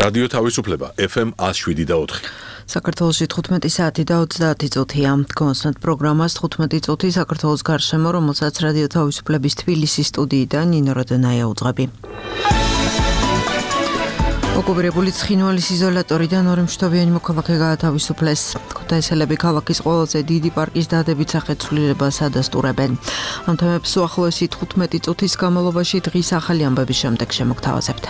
რადიო თავისუფლება FM 107.4. საქართველოში 15 საათი და 30 წუთია. კონსტანტ პროგრამას 15 წუთი საქართველოს გარშემო, რომელსაც რადიო თავისუფლების თბილისის სტუდიიდან ნინო როდონაია უძღვები. ოკუპირებული ცხინვალის იზოლატორიდან ორი მშვიდობიანი მოქალაქე გაათავისუფლეს. ქუთაისელები ქალაქის ყველაზე დიდი პარკის დადებით სახეცვლილებას ადასტურებენ. ამ თემებს უახლოესი 15 წუთის განმავლობაში დღის ახალი ამბების შემდეგ შემოგთავაზებთ.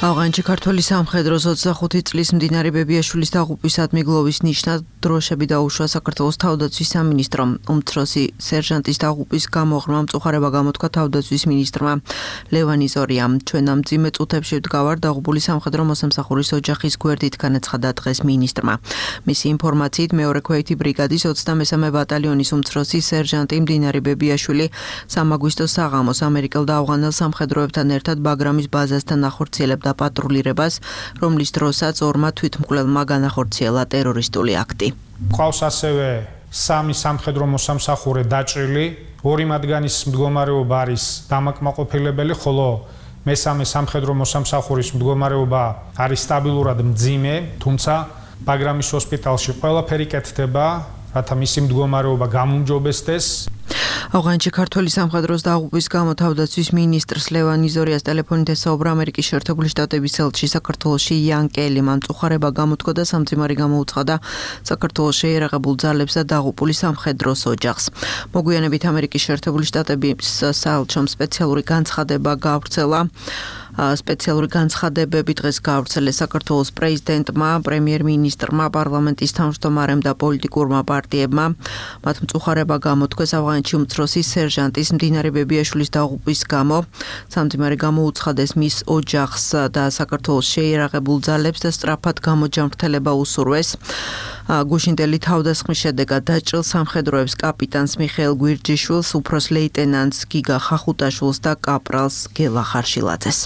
ავღანეთში ქართველი სამხედროს 25 წლის მდინარე ბებიაშვილის დაღუპვისადმი გლოვის ნიშნად დროშები დაუშვა საქართველოს თავდაცვის სამინისტრომ. უმცროსი სერჟანტის დაღუპვის გამო ღრმა მწუხარება გამოთქვა თავდაცვის მინისტრმა ლევან იზორიამ. ჩვენ ამ მძიმე წუთებში ვდგავართ დაღუპული სამხედრო მოსამსახურის ოჯახის გვერდით, განაცხადა დღეს მინისტრმა. მისი ინფორმაციით მეორე ქვეითი ბრიგადის 23-მე ბატალიონის უმცროსი სერჟანტი მდინარე ბებიაშვილი სამაგვისტო საღამოს ამერიკელ და ავღანელ სამხედროებთან ერთად ბაგრამის ბაზასთან ახორციელებდა პატრულირებას, რომლის დროსაც ორმა თვითმკვლელმა განახორციელა ტერორისტული აქტი. ყავს ასევე 3 სამხედრო მოსამსახურე დაჭრილი, 2 მათგანის მდგომარეობა არის დამაკმაყოფილებელი, ხოლო მესამე სამხედრო მოსამსახურის მდგომარეობა არის სტაბილურად მძიმე, თუმცა ბაგრამის ჰოსპიტალში ყველაფერი კეთდება, რათა მისი მდგომარეობა გამოუმჯობესდეს. ავღანეთში ქართველი სამხედროს დაღუპვის გამო თავდაცვის მინისტრს ლევან იზორიას ტელეფონით ესაუბრა ამერიკის შეერთებული შტატების ელჩი საქართველოში იან კელი. მან მწუხარება გამოთქვა და სამძიმარი გამოუცხადა საქართველოს შეიარაღებულ ძალებს და დაღუპული სამხედროს ოჯახს. მოგვიანებით ამერიკის შეერთებული შტატების საელჩომ სპეციალური განცხადებები დღეს გაავრცელეს საქართველოს პრეზიდენტმა, პრემიერ-მინისტრმა, პარლამენტის თავმჯდომარემ და პოლიტიკურმა პარტიებმა. მათ მწუხარება გამოთქვეს ავღანეთში უმცროსი სერჟანტის მდინარე ბებიაშვილის დაღუპვის გამო. სამძიმარი გამოუცხადეს მის ოჯახს და საქართველოს შეიარაღებულ ძალებს და სწრაფად გამოჯანმრთელება უსურვეს. გუშინდელი თავდასხმის შედეგად დაჭრილ სამხედროებს კაპიტანს მიხეილ გვირჯიშვილს, უფროს ლეიტენანტს გიგა ხახუტაშვილს და კაპრალს გელა ხარშილაძეს.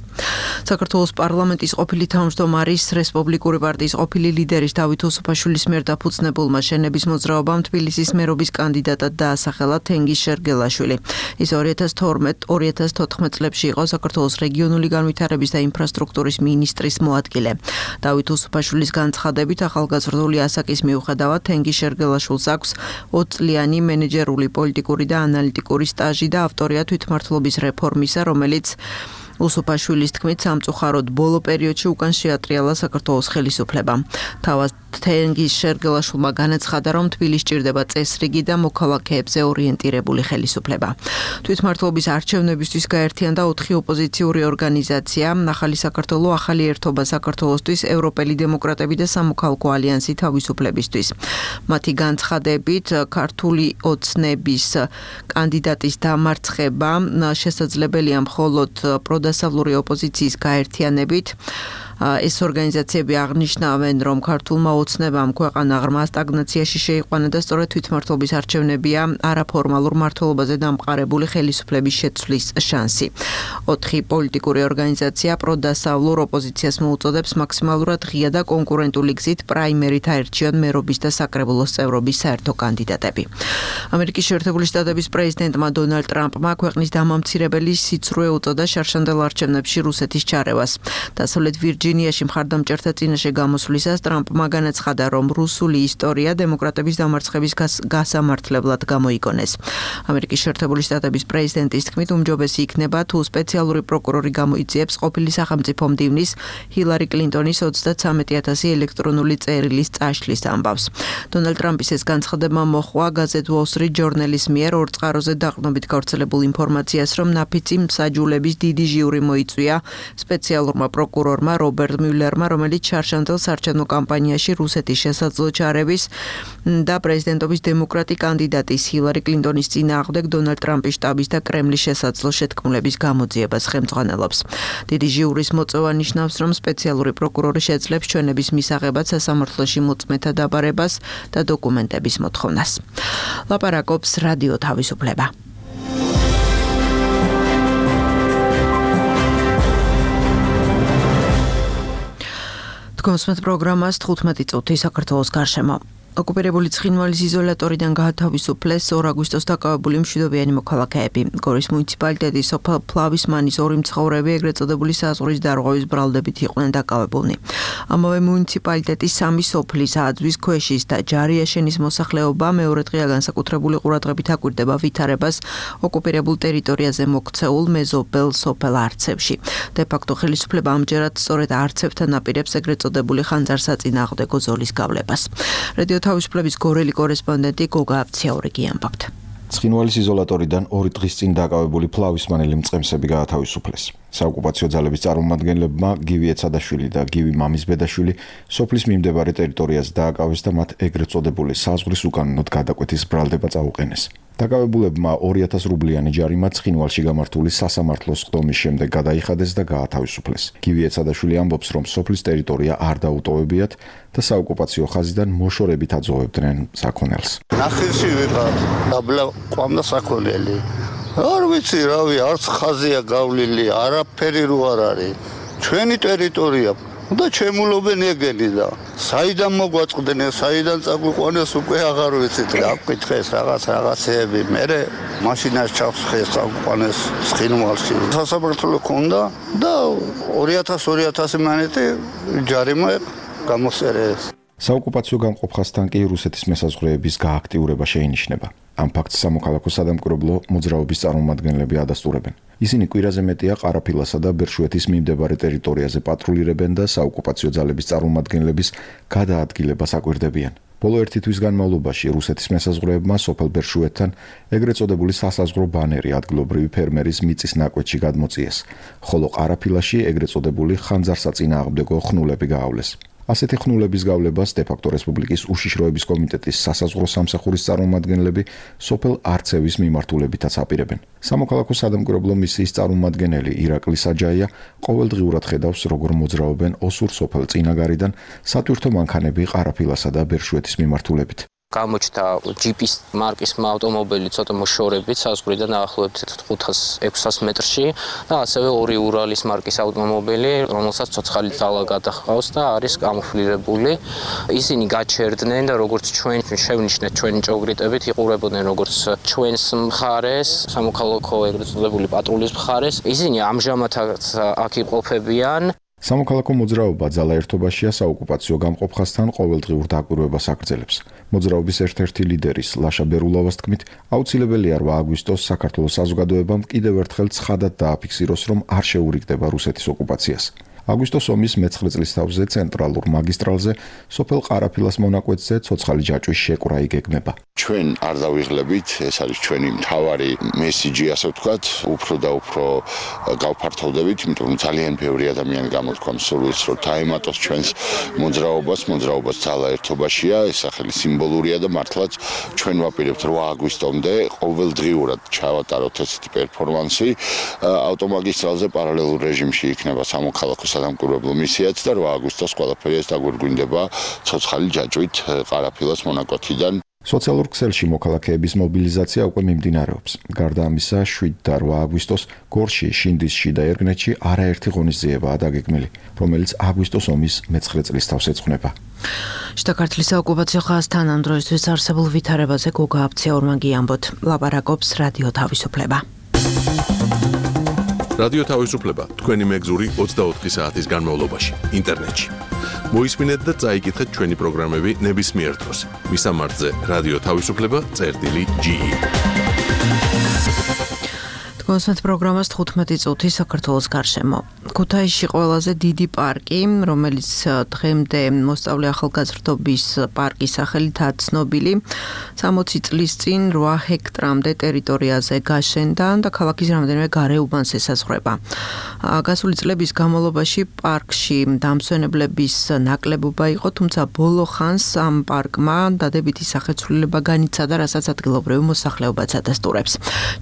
საქართველოს პარლამენტის ყოფილი თავმჯდომარის, რესპუბლიკური პარტიის ყოფილი ლიდერის დავით უსუფაშვილის მიერ დაფუძნებულმა შენების მოძრაობამ თბილისის მერობის კანდიდატად დაასახელა თენგიზ შერგელაშვილი. ის 2012-2014 წლებში იყო საქართველოს რეგიონული განვითარების და ინფრასტრუქტურის მინისტრის მოადგილე. დავით უსუფაშვილის განცხადებით, ახალგაზრდული ასაკის მიუხედავად თენგიზ შერგელაშვილს აქვს 20 წლიანი მენეჯერული, პოლიტიკური და ანალიტიკური სტაჟი და ავტორია თვითმმართველობის რეფორმისა, რომელიც უსუფაშვილის თქმით სამწუხაროდ ბოლო პერიოდში უკან შეატრიალა საქართველოს ხელისუფლებამ. თავად თენგიზ შერგელაშვილმა განაცხადა, რომ თბილისს სჭირდება წესრიგი და მოქალაქეებზე ორიენტირებული ხელისუფლება. თვითმმართველობის არჩევნებისთვის გაერთიანდა 4 ოპოზიციური ორგანიზაცია: ახალი საქართველო, ახალი ერთობა საქართველოსთვის, ევროპელი დემოკრატები და სამოქალაქო ალიანსი თავისუფლებისთვის. მათი განცხადებით, ქართული ოცნების კანდიდატის დამარცხება შესაძლებელია მხოლოდ დასავლური ოპოზიციის გაერთიანებით. ეს ორგანიზაციები აღნიშნავენ, რომ ქართულმა ოცნებამ ქვეყანა ღრმა სტაგნაციაში შეიყვანა და სწორედ თვითმმართველობის არჩევნებია არაფორმალურ მმართველობაზე დამყარებული ხელისუფლების შეცვლის შანსი. 4 პოლიტიკური ორგანიზაცია პროდასავლურ ოპოზიციას მოუწოდებს მაქსიმალურად ღია და კონკურენტული გზით პრაიმერით აერჩიონ მერობის და საკრებულოს წევრობის საერთო კანდიდატები. ამერიკის შეერთებული შტატების პრეზიდენტმა დონალდ ტრამპმა ქვეყნის დამამცირებელი სიცრუე უწოდა შარშანდელ არჩევნებში რუსეთის ჩარევას. დასავლეთ ვირჯინიაში მხარდამჭერთა წინაშე გამოსვლისას ტრამპმა განაცხადა, რომ რუსული ისტორია დემოკრატების დამარცხების გასამართლებლად გამოიგონეს. ამერიკის შეერთებული შტატების პრეზიდენტის თქმით, უმჯობესი იქნება, თუ სპეციალური პროკურორი გამოიძიებს ყოფილი სახელმწიფო მდივნის ჰილარი კლინტონის 33,000 ელექტრონული წერილის წაშლის ამბავს. დონალდ ტრამპის ეს განცხადება მოჰყვა გაზეთ Wall Street Journal-ის მიერ ორ წყაროზე დაყრდნობით გავრცელებულ ინფორმაციას, რომ ნაფიცი მსაჯულების დიდი ჟიური მოიწვია სპეციალურმა პროკურორმა რობერტ მიულერმა, რომელიც შარშანდელ საარჩევნო კამპანიაში რუსეთის შესაძლო ჩარევის და პრეზიდენტობის დემოკრატი კანდიდატის ჰილარი კლინტონის წინააღმდეგ დონალდ ტრამპის შტაბის და კრემლის შესაძლო შეთქმულების გამოძიებას ხელმძღვანელობს. დიდი ჟიურის მოწვევა ნიშნავს, რომ სპეციალური პროკურორი შეძლებს ჩვენების მისაღებად სასამართლოში მოწმეთა დაბარებას და დოკუმენტების მოთხოვნას. ლაპარაკობს რადიო თავისუფლება. კონსმეთ პროგრამას 15 წუთი საქართველოს გარშემო. ოკუპირებული ცხინვალის იზოლატორიდან გაათავისუფლეს 2 აგვისტოს დაკავებული მშვიდობიანი მოქალაქეები. გორის მუნიციპალიტეტის სოფელ ფლავისმანის 2 მცხოვრები ეგრეთ წოდებული საზღვრის დარღვევის ბრალდებით იყვნენ დაკავებულნი. ამავე მუნიციპალიტეტის 3 სოფლის აძვის ქვეშის და ჯარიაშენის მოსახლეობა მეორე დღეა განსაკუთრებული ყურადღებით აკვირდება ვითარებას ოკუპირებულ ტერიტორიაზე მოქცეულ მეზობელ სოფელ არცევში. დე-ფაქტო ხელისუფლება ამჯერად სწორედ არცევთან აპირებს ეგრეთ წოდებული ხანძარსაწინააღმდეგო ზოლის გავლებას. რადიო თავისუფლების გორელი კორესპონდენტი გოგა აფციაურიგი ამბობთ. ცხინვალის იზოლატორიდან 2 დღის წინ დაკავებული ფლავისმანელი მწყემსები გაათავისუფლეს. საოკუპაციო ძალების წარმომადგენლებმა გივი ეცადაშვილი და გივი მამისბედაშვილი სოფლის მიმდებარე ტერიტორიაზე დააკავეს და მათ ეგრეთ წოდებული საზღვრის უკანონოდ გადაკვეთის ბრალდება წაუყენეს. დაკავებულებმა 2000 რუბლიანი ჯარიმა ცხინვალში გამართული სასამართლოს ხდომის შემდეგ გადაიხადეს და გაათავისუფლეს. გივი ეცადაშვილი ამბობს, რომ სოფლის ტერიტორია არ დაუტოვებიათ და საოკუპაციო ხაზიდან მოშორებით აძოვებდნენ საქონელს. ნახევში ვიყავ, დაბლა ყვამდა საქონელი. არ ვიცი, რავი, არც ხაზია გავლილი, არაფერი რო არ არის. ჩვენი ტერიტორია და ჩემულობენ ეგენი და საიდან მოგვაწყდნენ, საიდან წაგვიყვანეს უკვე აღარ ვიცით, აკითხეს რაღაცეები. მერე მაშინას ჩავსხეს წაგვიყვანეს ცხინვალში. სასამართლო ქონდა და 2000 მანეთი ჯარიმა გამოსწერეს. საოკუპაციო გამყოფხასთან კი რუსეთის მესაზღვრეების გააქტიურება შეინიშნება. ამ ფაქტს სამოქალაქო სადამკვირვებლო მოძრაობის წარმომადგენლები ადასტურებენ. ისინი კვირაზე მეტია ყარაფილასა და ბერშუეთის მიმდებარე ტერიტორიაზე პატრულირებენ და საოკუპაციო ძალების წარმომადგენლების გადაადგილებას აკვირდებიან. ბოლო 1 თვის განმავლობაში რუსეთის მესაზღვრეებმა სოფელ ბერშუეთთან ეგრეთ წოდებული სასაზღვრო ბანერი ადგილობრივი ფერმერის მიწის ნაკვეთში გადმოწიეს, ხოლო ყარაფილაში ეგრეთ წოდებული ხანძარსაწინააღმდეგო ხნულები გაავლეს. ასეთი ხნულების გავლებას დე-ფაქტო რესპუბლიკის უშიშროების კომიტეტის სასაზღვრო სამსახურის წარმომადგენლები სოფელ არცევის მიმართულებითაც აპირებენ. სამოქალაქო სადამკვირვებლო მისიის წარმომადგენელი ირაკლი საჯაია ყოველდღიურად ხედავს, როგორ მოძრაობენ ოსურ სოფელ წინაგარიდან სატვირთო მანქანები ყარაფილასა და ბერშუეთის მიმართულებით. გამოჩნდა ჯიპის მარკის ავტომობილი ცოტა მოშორებით საზღვრიდან დაახლოებით 500-600 მეტრში და ასევე 2 ურალის მარკის ავტომობილი, რომელსაც ცოცხალი ძალა გადაჰყავს და არის კამუფლირებული. ისინი გაჩერდნენ და როგორც ჩვენ შევნიშნეთ ჩვენი ჭოგრიტებით იყურებოდნენ როგორც ჩვენს მხარეს, სამოქალაქო ეგრეთ წოდებული პატრულის მხარეს. ისინი ამჟამადაც აქ იმყოფებიან. სამოქალაქო მოძრაობა ძალა ერთობაშია საოკუპაციო გამყოფხასთან ყოველდღიურ დაკვირვებას აგრძელებს. მოძრაობის ერთ-ერთი ლიდერის ლაშა ბერულოვას თქმით, აუცილებელია 8 აგვისტოს საქართველოს საზოგადოებამ კიდევ ერთხელ ცხადად დააფიქსიროს, რომ არ შეურიგდება რუსეთის ოკუპაციას. აგვისტოს ომის მე-9 წლის თავზე ცენტრალურ მაგისტრალზე სოფელ ყარაფილას მონაკვეთზე ცოცხალი ჯაჭვის შეკვრა იგეგმება. ჩვენ არ დავიღლებით, ეს არის ჩვენი მთავარი მესიჯი, ასე ვთქვათ, უფრო და უფრო გავფართოვდებით, იმიტომ რომ ძალიან ბევრი ადამიანი გამოთქვამს სურვილს, რომ დაემატოს ჩვენს მოძრაობას ძალა ერთობაშია, ეს სახელი სიმბოლურია და მართლაც ჩვენ ვაპირებთ 8 აგვისტომდე ყოველდღიურად ჩავატაროთ ესეთი პერფორმანსი. ავტომაგისტრალზე პარალელურ რეჟიმში იქნება სამოქალაქო სადამკვირვებლო მისიაც და 8 აგვისტოს ყველაფერი ეს დაგვირგვინდება ცოცხალი ჯაჭვით ყარაფილას მონაკვეთიდან. სოციალურ ქსელში მოქალაქეების მობილიზაცია უკვე მიმდინარეობს. გარდა ამისა, 7 და 8 აგვისტოს გორში, შინდისში და ერგნეთში არაერთი ღონისძიებაა დაგეგმილი, რომელიც აგვისტოს ომის მე-9 წლის თავს ეძღვნება. შიდა ქართლის საოკუპაციო ხაზთან ამ დროისთვის არსებულ ვითარებაზე გოგა აფციაურმა გიამბოთ. ლაპარაკობს რადიო თავისუფლება. რადიო თავისუფლება თქვენი მეგზური 24 საათის განმავლობაში ინტერნეტში. მოისმინეთ და წაიკითხეთ ჩვენი პროგრამები ნებისმიერ დროს. მისამართზე რადიო თავისუფლება.ge. კონსერტ პროგრამას 15 წუთი საქართველოს გარშემო. ქუთაისში ყველაზე დიდი პარკი, რომელიც დღემდე მოსწავლე ახალგაზრდობის პარკის სახელითაა ცნობილი, 60 წლის წინ 8 ჰექტრამდე ტერიტორიაზე გაშენდა და ქალაქის რამდენიმე გარეუბანს ესაზღვრება. გასული წლების განმავლობაში პარკში დამსვენებლების ნაკლებობა იყო, თუმცა ბოლო ხანს ამ პარკმა დადებითი სახეცვლილება განიცადა, რასაც ადგილობრივი მოსახლეობაც ადასტურებს.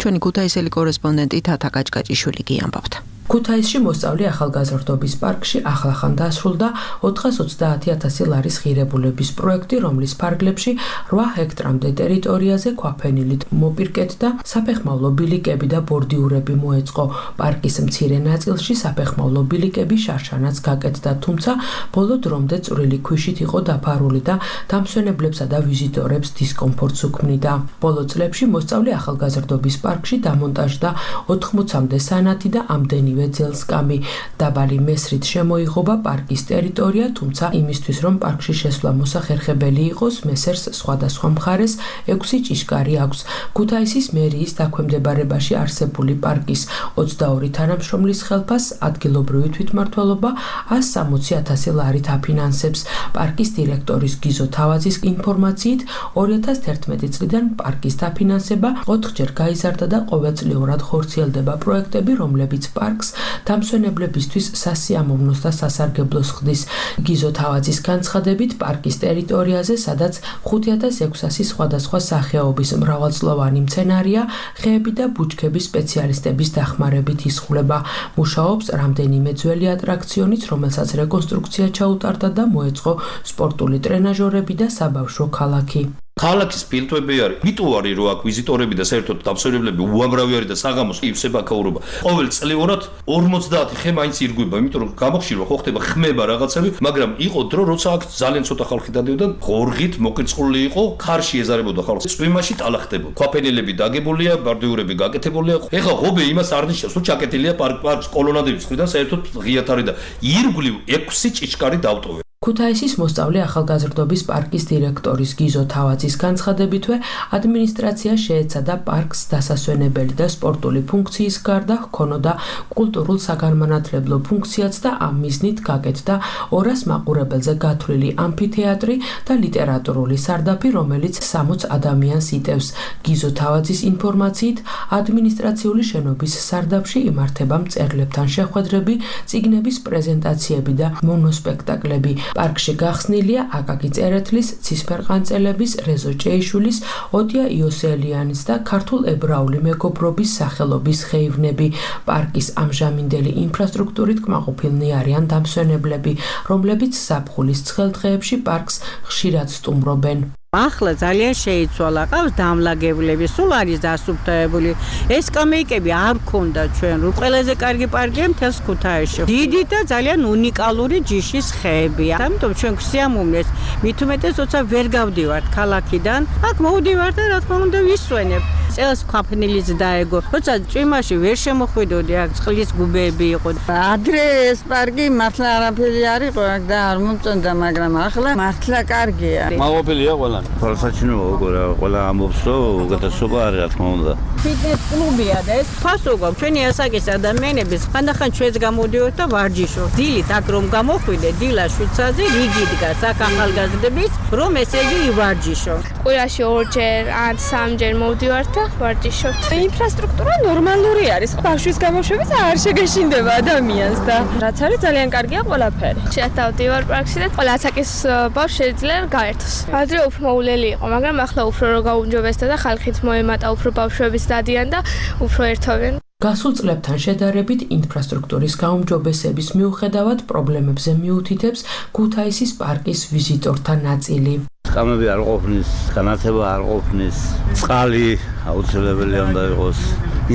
ჩვენი ქუთაისელი კორესპონდენტი თათა კაჭკაჭიშვილი გიამბობთ. ქუთაისში მოსწავლე ახალგაზრდობის პარკში ახლახან დასრულდა 430,000 ლარის ღირებულების პროექტი, რომლის ფარგლებში 8 ჰექტრამდე ტერიტორიაზე ქვაფენილით მოპირკეთდა საფეხმავლო ბილიკები და ბორდიურები მოეწყო. პარკის მცირე ნაწილში საფეხმავლო ბილიკები შარშანაც გაკეთდა, თუმცა ბოლო დრომდე წვრილი ქვიშით იყო დაფარული და დამსვენებლებსა და ვიზიტორებს დისკომფორტს უქმნიდა. ბოლო წლებში მოსწავლე ახალგაზრდობის პარკში დამონტაჟდა 80-მდე სანათი და ამდენი ძელსკამი. დაბალი მესრით შემოიღობა პარკის ტერიტორია, თუმცა იმისთვის, რომ პარკში შესვლა მოსახერხებელი იყოს, მესერს სხვადასხვა მხარეს 6 ჭიშკარი აქვს. ქუთაისის მერიის დაქვემდებარებაში არსებული პარკის 22 თანამშრომლის ხელფას ადგილობრივი თვითმმართველობა 160,000 ლარით აფინანსებს. პარკის დირექტორის გიზო თავაძის ინფორმაციით 2011 წლიდან პარკის დაფინანსება 4ჯერ გაიზარდა და ყოველწლიურად ხორციელდება პროექტები, რომლებიც პარკს დამსვენებლებისთვის სასიამოვნოს და სასარგებლოს ხდის. გიზო თავაძის განცხადებით, პარკის ტერიტორიაზე, სადაც 5600 სხვადასხვა სახეობის მრავალწლოვანი მცენარეა, ხეები და ბუჩქები სპეციალისტების დახმარებით იზღვლება. მუშაობს რამდენიმე ძველი ატრაქციონიც, რომელსაც რეკონსტრუქცია ჩაუტარდა და მოეწყო სპორტული ტრენაჟორები და საბავშვო ქალაქი. ქალაქის ფილტვები არის მიტუარი რო აქ ვიზიტორები და საერთოდ დამსვენებლები უამრავი არის და საღამოს ივსებაქაურობა ყოველ წლიურად 50 ხე მაინც ირგვება, იმიტომ რომ გამოხშირვა ხო ხდება ხმება რაღაცები, მაგრამ იყო დრო როცა აქ ძალიან ცოტა ხალხი დადიოდა, ღორღით მოკრიწყლული იყო, ხარში ეზარებოდა ხალხს, წვიმაში ტალახდებოდა. ქვაფენილები დაგებულია, ბარდიურები გაკეთებულია. ეხლა ღობე იმას არ ნიშნავს, რომ ჩაკეტილია პარკს კოლონადების მხრიდან საერთოდ ღიათ არის და ირგვლივ 6 ჭიშკარი დავტოვე. ქუთაისის მოსწავლე ახალგაზრდობის პარკის დირექტორის გიზო თავაძის განცხადებითვე, ადმინისტრაცია შეეცადა პარკს დასასვენებელი და სპორტული ფუნქციის გარდა ჰქონოდა კულტურულ საგანმანათლებლო ფუნქციაც და ამ მიზნით გაკეთდა 200 მაყურებელზე გათვლილი ამფითეატრი და ლიტერატურული სარდაფი, რომელიც 60 ადამიანს იტევს. გიზო თავაძის ინფორმაციით, ადმინისტრაციული შენობის სარდაფში იმართება მწერლებთან შეხვედრები, წიგნების პრეზენტაციები და მონოსპექტაკლები. პარკში გახსნილია აკაკი წერეთლის, ცისფერყანწელების, რეზო ჭეიშვილის, ოდია იოსელიანის და ქართულ ებრაული მეგობრობის სახელობის ხეივნები. პარკის ამჟამინდელი ინფრასტრუქტურით კმაყოფილნი არიან დამსვენებლები, რომლებიც ზაფხულის ცხელ დღეებში პარკს ხშირად სტუმრობენ. ახლა ძალიან შეიცვალა, ყავს დამლაგებლები, სულ არის დასუფთავებული. ეს სკამეიკები არ ქონდა ჩვენ, ყველაზე კარგი პარკია მთელს ქუთაისში. დიდი და ძალიან უნიკალური ჯიშის ხეებია. ამიტომ ჩვენ გვსიამოვნეს, მით უმეტეს როცა ვერ გავდივართ ქალაქიდან, აქ მოვდივართ და რა თქმა უნდა ვისვენებ. წელს ქვაფენილიც დაეგო. როცა წვიმაში ვერ შემოხვიდოდი, აქ წყლის გუბეები იყო. ადრე ეს პარკი მართლა არაფერი არ იყო, აქ და არ მომწონდა, მაგრამ ახლა მართლა კარგია. მაყოფილია ყველა. ფალსაჩინოა უკვე რა, ყველა ამბობს, რომ უკეთესობა არის, რა თქმა უნდა. ფიტნეს კლუბია და ეს ფასოგა ჩვენი ასაკის ადამიანების ხანდახან ჩვენს გამოდიოთ და ვარჯიშობ. დილით აქ რომ გამოხვიდე, დილა შვიცაზე რიგი დგას აქ ახალგაზრდების, რომ ესე იგი ივარჯიშო. კვირაში 2ჯერ ან 3ჯერ მოვდივართ და ვარჯიშობთ. ინფრასტრუქტურა ნორმალური არის. ბავშვის გამოშვების არ შეგეშინდება ადამიანს და რაც არის ძალიან კარგია ყველაფერი. შევდივარ პარკში და ყველა ასაკის ბავშვი შეიძლება გაერთოს. ადრე უფრო მოულელი იყო, მაგრამ ახლა უფრო რო გაუმჯობესდა და ხალხით მოემატა, უფრო ბავშვების დადიან და უფრო ერთობენ. გასულ წლებთან შედარებით ინფრასტრუქტურის გაუმჯობესების მიუხედავად პრობლემებზე მიუთითებს ქუთაისის პარკის ვიზიტორთა ნაწილი. სკამები არ ყოფნის, განათება არ ყოფნის, წყალი აუცილებელი უნდა იყოს,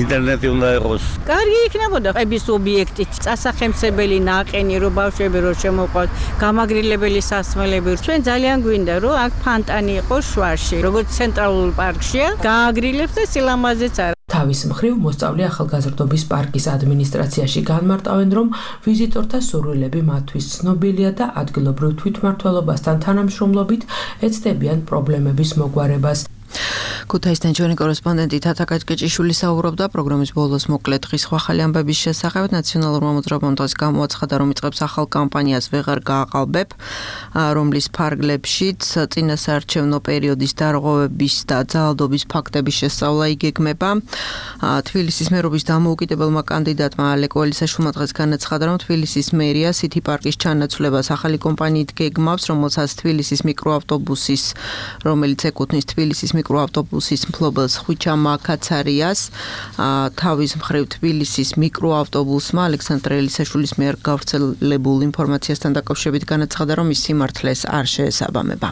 ინტერნეტი უნდა იყოს. კარგი იქნებოდა ყების ობიექტი, წასახემსებელი ნაყენი, რომ ბავშვები რო შემოყვათ, გამაგრილებელი სასმელები. ჩვენ ძალიან გვინდა, რომ აქ ფანტანი იყოს შვარში, როგორც ცენტრალურ პარკშია, გააგრილებს და სილამაზეც არა. თავის მხრივ მოსწავლე ახალგაზრდობის პარკის ადმინისტრაციაში განმარტავენ, რომ ვიზიტორთა სურვილები მათთვის ცნობილია და ადგილობრივ თვითმმართველობასთან თანამშრომლობით ეცდებიან პრობლემების მოგვარებას. ქუთაისთან ჩვენი კორესპონდენტი თათა კაჭკეჭიშვილი საუბრობდა პროგრამის ბოლოს მოკლე დღის ახალი ამბების შესახებ. ნაციონალურმა მოძრაობამ დღეს გამოაცხადა, რომ იწყებს ახალ კამპანიას ვეღარ გააყალბებ, რომლის ფარგლებშიც წინასაარჩევნო პერიოდის დარღვევების და ძალადობის ფაქტების შესწავლა იგეგმება. თბილისის მერობის დამოუკიდებელმა კანდიდატმა ალეკ ველისაშვილმა დღეს განაცხადა, რომ თბილისის მერია სითი პარკის ჩანაცვლებას ახალი კომპანიით გეგმავს, რომელსაც თბილისის მიკროავტობუსის, რომელიც ეკუთვნის თბილისის მიკროავტობუსის ავტობუსის მფლობელს ხვიჩა მაკაცარიას თავის მხრივ თბილისის მიკროავტობუსმა ალექსანდრე ელისაშვილის მიერ გავრცელებულ ინფორმაციასთან დაკავშირებით განაცხადა, რომ ის სიმართლეს არ შეესაბამება.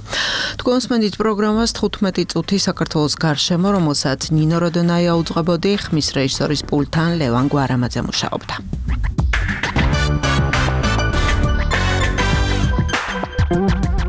თქვენსმენდით პროგრამას 15 წუთი საქართველოს გარშემო, რომელსაც ნინო როდონაია უძღვებოდი, ხმის რეჟისორის პულტთან ლევან გვარამაძე მუშაობდა.